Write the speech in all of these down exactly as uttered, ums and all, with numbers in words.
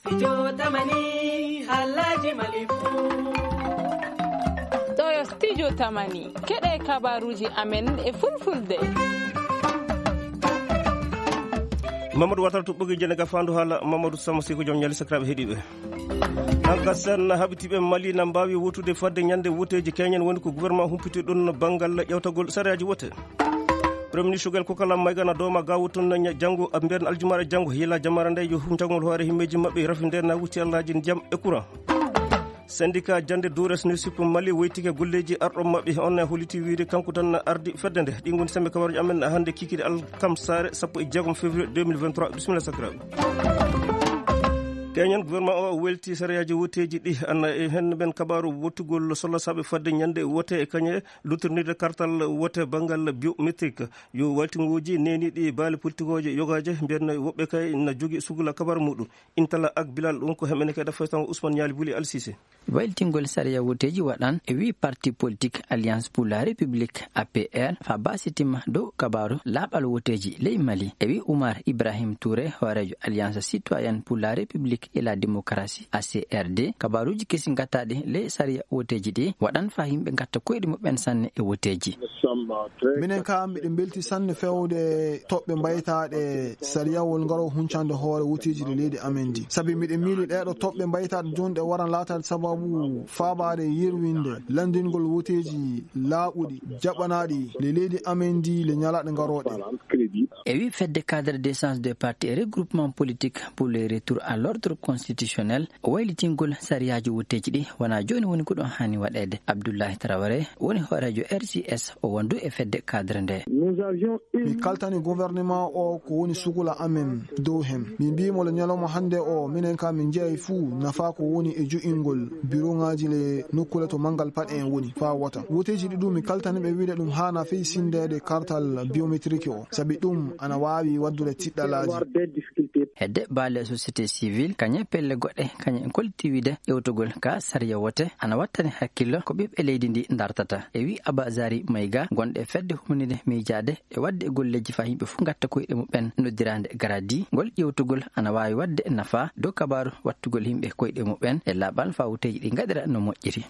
Studio Tamani, haalaaji Mali fuu. Ɗo yo Studio Tamani, keɗe kabaruuji amen e fulfulde. Mamadou Watara to ɓogi jene ga fandu haala Mamadou Sama Siko joom ñali sakiraaɓe heɗiiɓe. An ka sen habitiiɓe Mali na mbaawi wotude fadde ñande woteeji keñen woni ko gouvernement humpiti ɗon banngal ƴewtagol sariyaaji wote. Premier ministre Choguel Kokala Maïga na dooma gawo tun na ña-, janngo, a mbiyan aljumaare janngo, yila jamaare nde yo hum jangol hoore himmeeji maɓɓe rafi nde na wucci allaaji ndiyam e courant. Syndicat jannde Dores Newsip Mali woytike golleeji arɗo maɓɓe on ne holliti wiide kanko tan na ardi fedde nde. Ɗi ngoni sembe kabaruji amen hannde kikiɗe alkamsaare sappo e jeegom février deux mille vingt-trois. Bisimilla sakiraaɓe. Keñen gouvernement o welti sariyaaji woteeji ɗi ana e hen men kabaru wottugol sollasaaɓe fadde ñande wote e kañe luttirnirde kartal wote banngal biométrique. Yo waltingooji neeniiɗi baali politikooje yogaaje, mbiyan woɓɓe kay na jogi sugla kabar muɗum. Intala ak Bilal ɗum ko hemɓene kay ɗa faytango Ousmane Ñaali Buli Al Sisi. Waylitingol sariya woteeji waɗan e wi parti politique Alliance pour la République, A P R, fa basitima dow kabaru laaɓal woteeji ley Mali. E wi Oumar Ibrahim Touré, hooreejo Alliance Citoyenne pour la République et la Démocratie, A C R D, kabaruuji kesi ngataɗi ley sariya woteeji ɗi waɗan faa yimɓe ngatta koyɗe muɓɓen sanne e woteeji. Minen ka miɗen mbelti sanne fewde toɓɓe mbaytaaɗe sariyawol ngaro huncande hoore woteeji ɗi leydi amen ndi. Sabi miɗen miili ɗeeɗo toɓɓe mbaytaaɗe jooni ɗe waran laataade sababu faabaade yerwinde lanndingol woteeji laaɓuɗi, jaɓanaaɗi le leydi amen ndi le ñalaaɗe ngarooɗe. E wi fedde cadre d'échange des partis et regroupements politiques pour le retour à l'ordre constitutionnel, waylitingol sariyaaji wotteeji ɗi wonaa jooni woni ko ɗum haani waɗeede. Abdoulaye Traoré woni hooreejo R C S, o wondu e fedde cadre nde. Mi kaltani gouvernement o ko woni sugula amen dow hen. Mi mbiimo le ñalawma hannde o, minen ka min jeeyi fuu nafa ko woni e jo'ingol biroŋaaji le nokkule to manngal paɗe en woni faa wota. Woteeji ɗi ɗum mi kaltani ɓe wiide ɗum haana fey sindeede kartal biométrique o, sabi ɗum ana waawi waddude tiɗɗalaaji. Hedde baale société civile, kañe pelle goɗɗe, kañe en kolti wiide ƴewtugol ka sariya wote ana wattani hakkillo ko ɓiɓɓe leydi ndi dartata. E wi Abazari Mayga, gonɗe fedde humanide miijaade e waɗde e golleeji faa yimɓe fof ngatta koyɗe muɓɓen noddiraande garadi, ngol ƴewtugol ana waawi waɗde nafa dow kabaaru wattugol yimɓe koyɗe muɓɓen e laaɓal faa woteeji ɗi ngaɗira no moƴƴiri.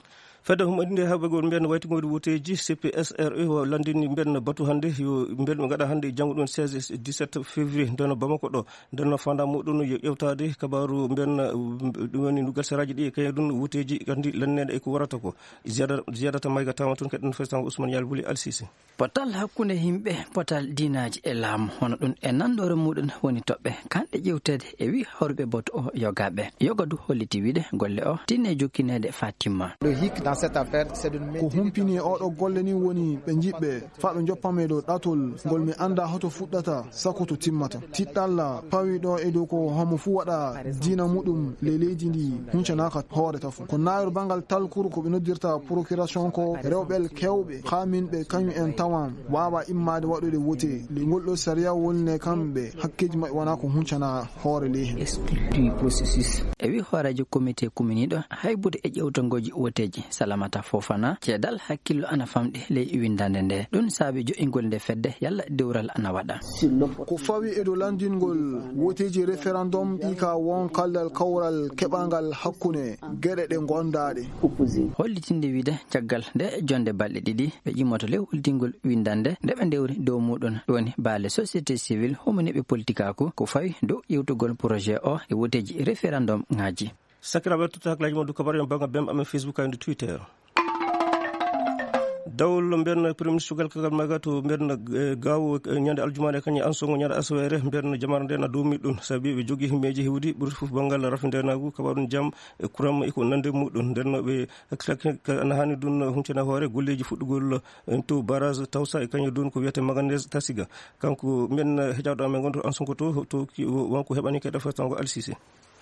Fedde humanide haɓagol mbiyan waytugol woteeji C P S R E o lanndini mbiyan batu hannde yo mbiyan ɓe ngaɗa hannde e janngo ɗum seize e dix-sept février nden Bamako ɗo. Nden no fanda muɗum yo ƴewtaade kabaaru mbiyan, um, ɗum woni ndugal saraaji ɗi e kañum ɗum woteeji kandi lanneede e ko warata ko. Ziyada-, Ziyadata Mayga tawa toon keɗen festango Ousmane Yal Buli Al Sisi. Potal hakkunde yimɓe, potal diinaaji e laamu, hono ɗum e nanɗoore muɗum woni toɓɓe kanɗe ƴewteede e wi hawruɓe batu o yogaaɓe. Yoga du holliti wiide golle o tinne jokkineede faa timma. Ko humpini e oɗo golle ni woni ɓe njiɓɓe faa ɓe njoppamme dow ɗatol ngol mi annda hoto fuɗɗata sako to timmata. Tiɗɗalla pawi ɗo e dow ko homo fuu waɗa diina muɗum ley leydi ndi huncanaaka hoore tafo. Ko naayol banngal talkuru ko ɓe noddirta procuration ko rewɓe kewɓe haa min ɓe kañum en tawan waawa immaade waɗude wote. Le ngol ɗo sariya woni ne kamɓe hakkeeji maɓɓe wonaa ko huncana hoore ley hen. E wi hooreejo comité kuminiiɗo haybude e ƴewtangooji woteeji Salamata Fofana, ceedal hakkillo ana famɗi ley winndande nde. Ɗum saabi jo'ingol nde fedde yalla dewral ana waɗa. Ko fawi e dow lanndingol woteeji référendum ɗi ka won kallal kawral keɓangal hakkunde geɗe ɗe gondaaɗe. Hollitinde wiide caggal nde jonde balɗe ɗiɗi ɓe ƴimmoto ley hollittingol winndande nde ɓe ndewri dow muɗum woni baale société civile humaniiɓe politikaaku ko fawi dow ƴewtugol projet o e woteeji référendum ŋaaji. Sakiraaɓe, totta hakkilaaji mon dow kabaaruji bannga bem amen Facebook e Twitter. Dawol mbiyan Premier Ministre Sugal Kagal Maga to mbiyan, eh, Gaawo, eh, ñande aljumaare kañum Ansongo ñande asaweere mbiyan jamaare nde na dow muɗum sabi ɓe jogii himmeeji heewɗi ɓurti fof banngal rafi ndeenaagu, kabaaru jam e kuram e ko nande muɗum. Nden no ɓe hakkilaki ka ana haani ɗum huncana hoore golleeji fuɗɗugol, eh, to barrage Tawsa e kañum ɗum ko wiyete manganese Tasiga. Kanko mbiyan, eh, hejaɗo amen gonɗo Ansongo to, to ki-, wonko heɓani kadi festango Al Sisi.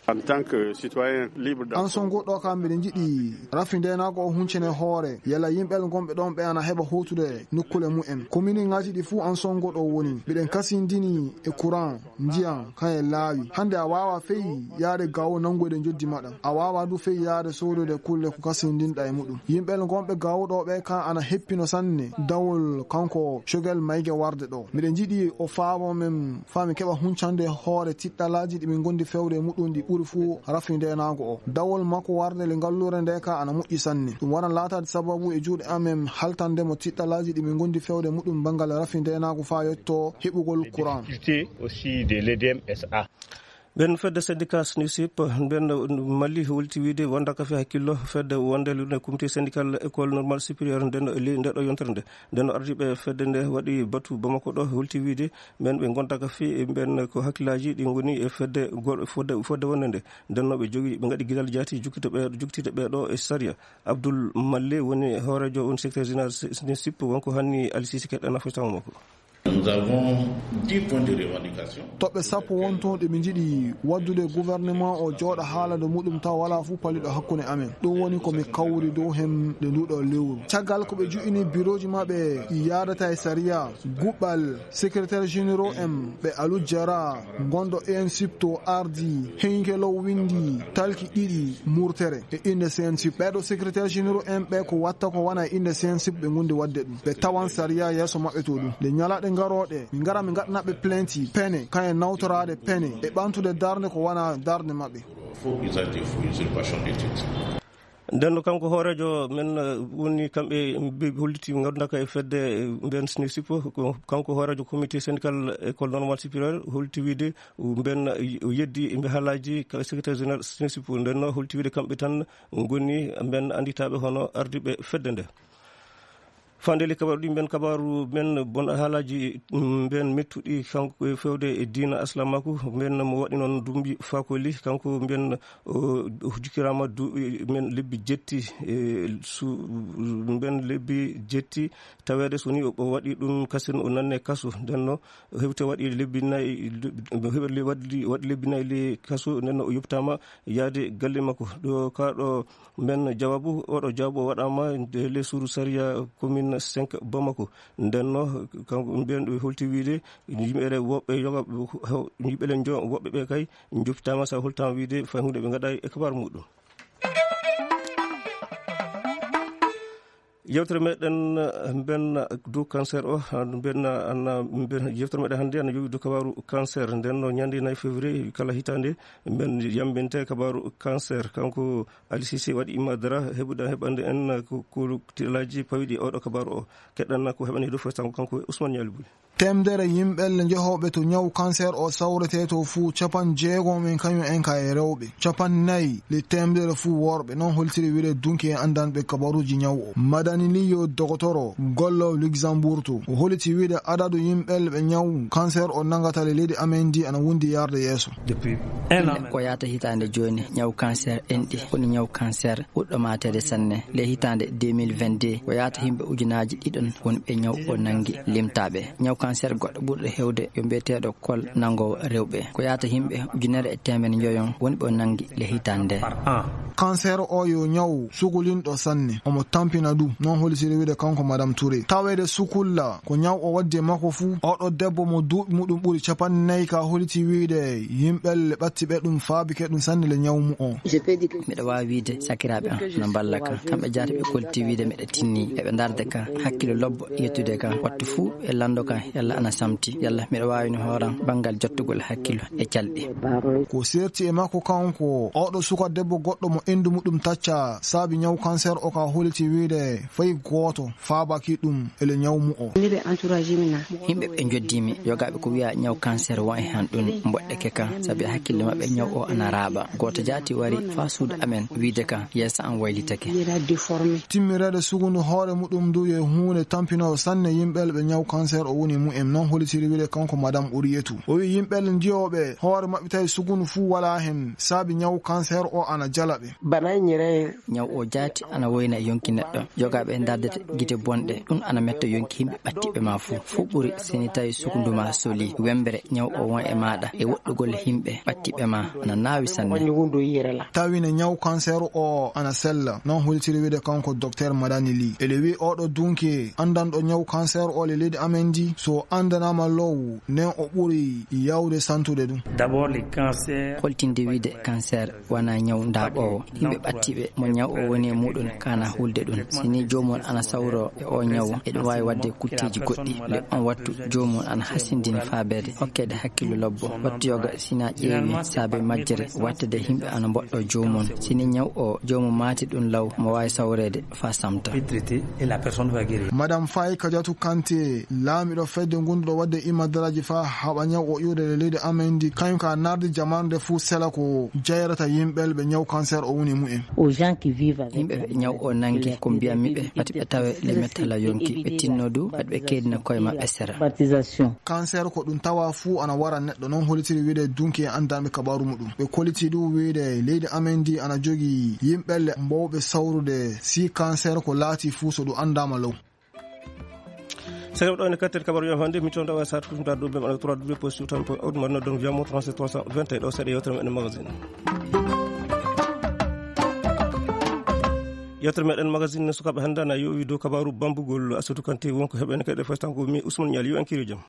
En tant que citoyen libre d'Ansongo ɗo kam mbiɗen njiɗi rafi ndeenaagu o huncene hoore, yalla yimɓe gonɓe ɗon ɓe ana heɓa hootude nokkule mumen. Kominiŋaaji ɗi fuu Ansongo ɗo woni. Mbiɗen kasindini e courant, ndiyan, kañum e laawi. Hannde a waawa fey yaade Gaawo nanngoyde njoddi maɗa. A waawa du fey yaade soodoyde kulle ko kasindinɗa e muɗum. Yimɓe gonɓe Gaawo ɗo ɓe kan ana heppino sanne dawol kanko Cogel Mayge warde ɗo. Mbiɗen njiɗi o faabo men faa mi keɓa huncande hoore tiɗɗalaaji ɗi min ngondi fewde e muɗum ɗi Ɓuri fuu rafi ndeenaagu o. Dawol makko warde le ngalluure nde ka ana moƴƴi sanne. Ɗum waran laataade sababu e juuɗe amen haltande mo tiɗɗalaaji ɗi min ngondi fewde muɗum banngal rafi ndeenaagu faa yetto heɓugol courant. Aussi de l'EDEM S A. Ɓen fedde syndicat SNUSIP, ɓen Mali holti wiide wonda ka fi hakkillo fedde wonde lune comité syndical école normale supérieure nden le-, nde ɗo yontere nde. Nden ardiiɓe fedde nde waɗi batu Bamako ɗo holti wiide ɓen ɓe ngonta ka fi ɓen ko hakkillaaji ɗi ngoni e fedde go-, fodde, fodde wonde nde. Nden no ɓe jogi, ɓe ngaɗi gidal jaati jukkito ɓe, jukkitide ɓe ɗo e sariya. Abdoul Malle woni hoorejo, woni secrétaire général SNUSIP, wonko hanni Alisisi keɗɗana fo taw makko. Nous avons dix points de revendication. Toɓɓe sappo won toon ɗe min njiɗi waddude gouvernement o jooɗa haalande muɗum taw walaa fuu paliɗo hakkunde amen. Ɗum woni ko mi kawri dow heen nde nduɗo lewru. Caggal ko ɓe juɓɓini birooji maɓɓe ɗi yaadata e sariya, guɓɓal secrétaire généraux en ɓe Alou Diarra, gondo E N SIP to ardi, Henke Low windi, talki ɗiɗi murtere e innde C N SIP. Ɓeeɗo secrétaire généraux en ɓe ko watta ko wona e innde C N SIP ɓe ngondi wadde ɗum. Ɓe tawan sariya yeeso maɓɓe to ɗum. Nde ñalaɗe ngarooɗe, mi ngara mi ngaɗana ɓe plainte, pene, kañe nawtoraade pene, e ɓantude darnde ko wona darnde maɓɓe. Faux usage des faux, usurpation des titres. Nden no kanko hooreejo men, eh, woni kamɓe mbi-, holliti ngannduɗaa ka e fedde, eh, mben SNUSIP, ko kanko hooreejo comité syndical école normale supérieure, holliti wiide mben, eh, o yeddi mbe haalaaji ka secrétaire général SNUSIP. Nden no holliti wiide kamɓe tan ngoni mben annditaaɓe hono ardiiɓe fedde nde. Fandeeli kabaaru ɗi mben kabaaru men bon haalaaji, mm, mben mettuɗi kanko e fewde e diina aslamaaku, mben mo waɗi noon dumbi faakoli, kanko mben o, o jukkiraama du-, men lebbi jetti, e su-, mben lebbi jetti, taweede so ni o, o waɗi ɗum kasen o nanne kaso, nden no hewte waɗi lebbi nayi, waɗi, waɗi lebbi nayi le kaso, nden no o yoptaama yaade galle makko. Ɗo ka ɗo men jawaabu, oɗo jawaabu o waɗaama nde le suudu sariya commune cinq Bamako. Nden no kanko mbiyen ɗo holti wiide yimɓe ɗe woɓɓe yoga, yimɓe ɗe jo-, woɓɓe ɓe kay joppitaama sa holtaama wiide fay huunde ɓe ngaɗa e kabaru muɗum. Yewtere meɗen, eh, mben dow cancer o, ah, mben, ah, ana, mben, yewtere meɗen hannde ana yowi dow kabaru cancer. Nden no ñande nayi février kala hitaande, mben yambinte kabaru cancer. Kanko Ali Cissé waɗi imma dara heɓude, heɓande en ko, ko tiɗalaaji pawiɗi oɗo kabaru o. Keɗɗan ko heɓani dow fo kanko, kanko Ousmane Nialy Bouly. Teemedere yimɓe le njehooɓe to ñaw cancer o sawretee to fuu, capanɗe jeegom en kañum en ka e rewɓe, capanɗe nayi le teemedere fuu worɓe. Noon holtiri wiyde dunki e anndanɓe kabaruuji ñaw o. Madani Li yo dogotoro gollo Luxembourg to. O holiti wiyde adadu yimɓe le ɓe ñaw cancer o nanngata le leydi amen ndi ana wondi yarde yeeso. Depuis un an. Ko yaata hitaande jooni, ñaw cancer enɗi, woni ñaw cancer ɓurɗo maateede sanne. Le hitaande deux mille vingt-deux, ko yaata yimɓe ujunaaji ɗiɗon wonɓe ñaw o nanngi limtaaɓe. Ñaw cancer goɗɗo ɓurɗo heewde yo mbiyeteeɗo kol nanngoowo rewɓe. Ko yaata yimɓe ujunere e teemedde njoyon wonɓe o nanngi le hitaande nde. Par an. Cancer o yo ñaw sugulinɗo sanne, omo tampina du. Noon holitiri wiyde kanko Madame Touré. Taweede sukulla ko ñaw o waddi e makko fuu. Oɗo debbo mo duuɓi muɗum ɓuri capanɗe nayi ka holiti wiyde yimɓe le ɓatti ɓe ɗum faabike ɗum sanne le ñaw mu o. Miɗo waawi wiyde sakiraaɓe am no mballa kan. Kamɓe jaati ɓe kolti wiyde miɗo tinni. Eɓe ndarde kan. Hakkilo lobbo yettude kan. Wattu fuu e lanndo kan yalla ana samti. Yalla miɗo waawi no hooran banngal jottugol hakkilo e calɗi. Ko serti e makko kanko, oɗo suka debbo goɗɗo mo endu muɗum tacca saabi ñaw cancer o ka holiti wiyde fay gooto faabaki ɗum ele ñaw mu o. Yimɓe ɓe njoddimi, yogaaɓe ko wiya ñaw cancer won e han ɗum mboɗɗeke kan, sabi hakkille maɓɓe ñaw o ana raaɓa. Gooto jaati wari faa suudu amen wiyde kan yeeso am waylitake. Timmireede sugundu hoore muɗum ndu yo huunde tampinoowo sanne yimɓe ɓe ñaw cancer o woni mu'en. Noon holitiri wiyde kanko Madame Ourietou. O wi yimɓe njiyooɓe hoore maɓɓe tawi sugundu fuu walaa hen saabi ñaw cancer o ana jala ɓe. Bana nyere. Ñaw o jaati ana woyna yonki neɗɗo. Yogaaɓe ndardete gite bonɗe, ɗum ana metta yonki yimɓe ɓattiɓe ma fuu. Fuu ɓuri seni tawi sukundu ma soli. Wembere ñaw o won e maaɗa e woɗɗugol yimɓe ɓattiɓe ma ana naawi sanne. Woni wundu yere la. Tawine ñaw cancer o ana sella. Noon holitiri wiyde kanko Docteur Madani Ly. Ele wi oɗo dunki anndanɗo ñaw cancer o le leydi amen ndi, so anndanaama low, nden o ɓuri yawde santude ɗum. D'abord, les cancers. Holtinde wiyde cancer wona ñaw ndaaɓoowo. Yimɓe ɓattiɓe mo ñaw o woni e muɗum kana hulde ɗum. Si ni Joomum ana sawroo e oo ñawu, eɗum waawi waɗde kutteeji goɗɗi. Le on wattu, joomum ana hasindini faabeede hokkeede hakkillo lobbo. Wattu yoga, si na ƴeewi saabe majjere wattede yimɓe ana mboɗɗo joomum. Si ni ñaw o joomum maati ɗum law, mo waawi sawreede faa samta. Madame Faye Kadiatou Kanté, laamiɗo fedde gonduɗo waɗde imadaraaji faa haɓa ñaw o iwde e leydi amen ndi, kañum ka nardi jamaanu nde fuu sela ko jayrata yimɓe ɓe ñaw cancer o woni mumen. Yimɓe ɓe ñaw o nangi ko mbiyammi ɓe, pati ɓe tawe le mettala yonki, ɓe tinno du, pati ɓe keedina koye maɓɓe sera. Cancer ko ɗum tawa fuu ana wara neɗɗo, noon hollitiri wiide dunki e anndanɓe kabaaru muɗum. Ɓe kolliti du wiide leydi amen ndi ana jogii yimɓe le mbowɓe sawrude si cancer ko laati fuu so ɗum anndaama law. Saka ɗo ne kattel kabaru yo hande mi tonda wa sat kusum da dubbe ma trois w point outmarno donc viamo trente trois cent vingt et un ɗo seɗe yewtere meɗen magazine. Yewtere meɗen magazine ne sukaɓe hande ana yowi dow kabaru bambugol asutu kante wonko heɓen kede fostango mi usman ñal yo en kiri jam.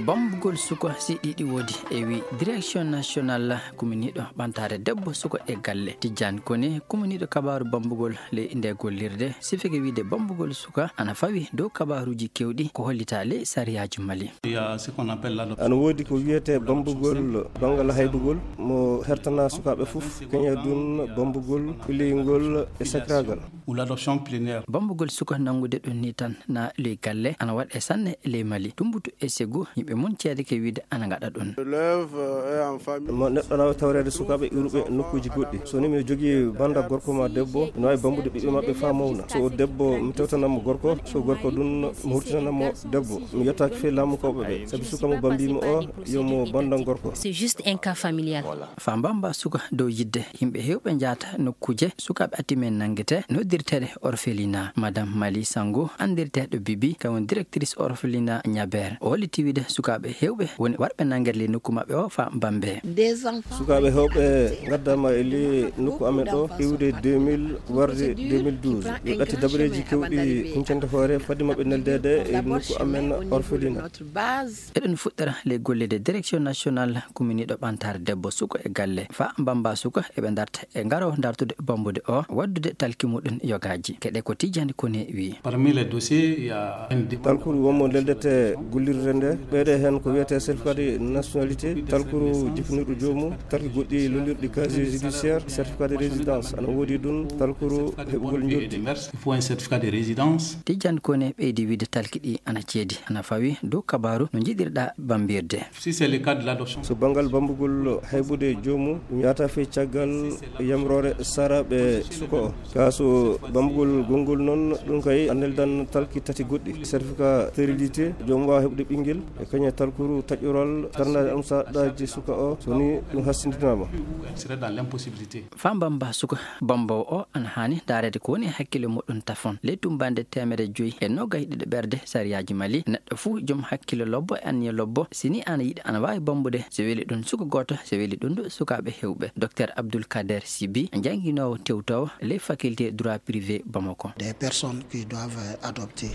Bambugol suko si ɗiɗi woodi e wi direction national kuminiɗo ɓantare debbo suko e galle. Tijjani koni kuminiɗo kabaru bambugol ley nde gollirde sifike wiide bambugol suka ana fawi dow kabaruji kewɗi ko hollita ley sariyaaji mali. Ana woodi ko wiyete bambugol bangal haybugol mo hertana sukaɓe fof keñe dun bambugol pilingol e sakiragal. Bambugol suka nangude ɗum ni tan na ley galle ana waɗe sanne ley mali tumbutu e segu yimɓe mun ceede ke wiide ana gaɗa ɗum. Mo neɗɗo na wawi tawreede sukaaɓe iwruɓe nokkuuji goɗɗi. So ni miɗo jogii bannda gorko ma debbo, ina waawi bambude ɓiɓɓe maɓɓe faa mawna. So o debbo, mi tewtanan mo gorko, so gorko ɗum, mi hurtinan mo debbo. Mi yettaaki fii laamu kawɓe ɓe, sabi suka mo bambiimi o, yo mo banndan gorko. C'est juste un cas familial. Faa mbamba suka dow yidde, yimɓe heewɓe njaata nokkuuje sukaaɓe atimen nanngete, noddirteeɗe orphelinat. Madame Mali Sango, anndirteeɗo Bibi, kañum directrice orphelinat Ñabeer. O holliti wiide sukaaɓe heewɓe woni warɓe nanngere ley nokku maɓɓe o faa mbambe. Sukaaɓe heewɓe ngaddaama e ley nokku amen ɗo iwde deux mille warde deux mille douze. Ɓe ɓetti dabareeji kewɗi huncande hoore fadde maɓɓe neldeede e nokku amen orphelinat. Eɗen fuɗɗora ley golle de direction national kuminiiɗo ɓantaare debbo suko e galle faa mbamba suko eɓe darta e ngaro dartude bambude o waddude talki muɗum yogaaji. Keɗe ko tijjani koni wi. Talkuru wonmo leldete gullirde nde ɓeyde heen ko wiyete certificat de nationalité, talkuru jipinirɗo joomu, talki goɗɗi lollirɗi casier judiciaire, certificat de résidence ana woodi ɗum, talkuru heɓugol njoɓdi. Il faut un certificat de résidence. Tijjani koni ɓeydi wiide talki ɗi ana ceedi ana fawi dow kabaru no njiɗirɗa bambirde. So banngal bambugol haybude joomum, ɗum yahata fii caggal yamroore saraaɓe suka o. Kaa so bambugol gonngol noon, ɗum kay a neldan talki tati goɗɗi, certificat stérilité, joom waawa heɓude ɓinngel, e kañum e talkuru taƴoral darndaade amsaɗaaji suka o, so ni ɗum hassindinaama. Faa mbamba suka bambowo o ana haani ndaareede ko woni e hakkille muɗum tafon. Ley tummbande teemedde joyi e noogay ɗiɗo ɓerde sariyaaji Mali, neɗɗo fuu joom hakkille lobbo e anniya lobbo, si ni ana yiɗi ana waawi bambude, so weli ɗum suka gooto, so weli ɗum du sukaaɓe heewɓe. Docteur Abdoul Kader Sibi, jannginoowo tewtoowo ley faculté droit privé Bamako.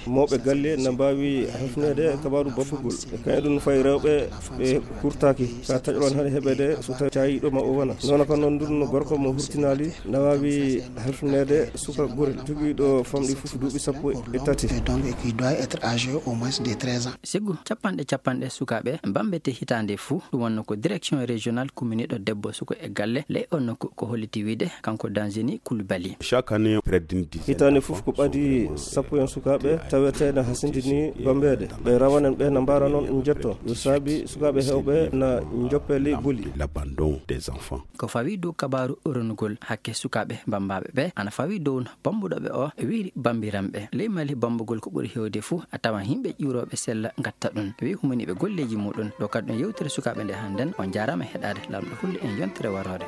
Mawɓe galle na mbaawi hefneede kabaaru babbugol. E kañum ɗum fayi rewɓe ɓe kurtaaki. Ka taƴoron hade heɓeede so tawi caayiiɗo ma o wona. Noona ko noon ndun gorko mo hurtinaali na waawi halfineede suka gorel jogiiɗo famɗi fof duuɓi sappo e tati. Donc, et qui doit être âgé au moins de treize ans. Sigu capanɗe capanɗe sukaaɓe bambete hitaande fuu, ɗum wonno ko direction régionale kuminiiɗo debbo suko e galle ley on nokku ko holliti wiide kanko Danzini Koulibaly. Chaque année, près d'une dizaine. Hitaande fof ko ɓadi sappo en sukaaɓe taweteeɗe hasindini bambeede. Ɓe rawanen ɓe na mbaara noon njetto. Yo saabi sukaaɓe heewɓe na njoppe ley boli. L'abandon des enfants. Ko fawi dow kabaaru ronugol hakke sukaaɓe bambaaɓe ɓe ana fawi dow bambuɗo ɓe o wiiri bambiranɓe. Ley Mali bambugol ko ɓuri heewde fuu a tawan yimɓe ƴuurooɓe sella ngatta ɗum. Wi humaniiɓe golleeji muɗum. Ɗo kadi ɗum yewtere sukaaɓe nde hannden. On njaaraama heɗaade Laamɗo Hulde en yontere waroore.